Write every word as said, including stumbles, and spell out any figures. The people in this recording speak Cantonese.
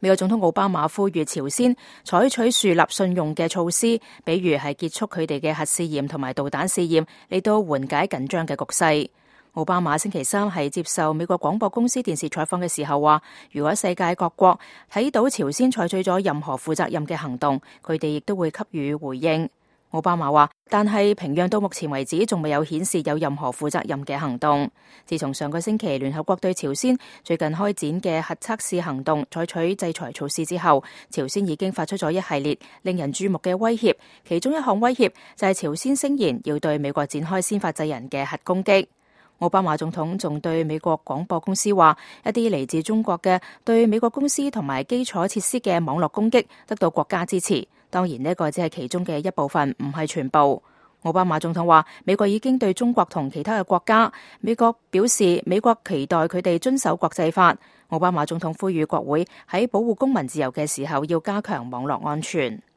美國總統奧巴馬呼籲朝鮮採取樹立信用嘅措施，比如係結束佢哋嘅核試驗同埋導彈試驗，嚟到緩解緊張嘅局勢。奧巴馬星期三係接受美國廣播公司電視採訪嘅時候話，如果世界各國睇到朝鮮採取咗任何負責任嘅行動，佢哋亦都會給予回應。奧巴馬話，但係平壤到目前為止仲未有顯示有任何負責任嘅行動。自從上個星期聯合國對朝鮮最近開展嘅核測試行動採取制裁措施之後，朝鮮已經發出咗一系列令人注目嘅威脅，其中一項威脅就係朝鮮聲言要對美國展開先發制人嘅核攻擊。奧巴馬總統仲對美國廣播公司話，一啲嚟自中國嘅對美國公司同埋基礎設施嘅網絡攻擊得到國家支持，當然呢個只係其中嘅一部分，唔係全部。奧巴馬總統話，美國已經對中國同其他嘅國家，美國表示美國期待佢哋遵守國際法。奧巴馬總統呼籲國會喺保護公民自由嘅時候要加強網絡安全。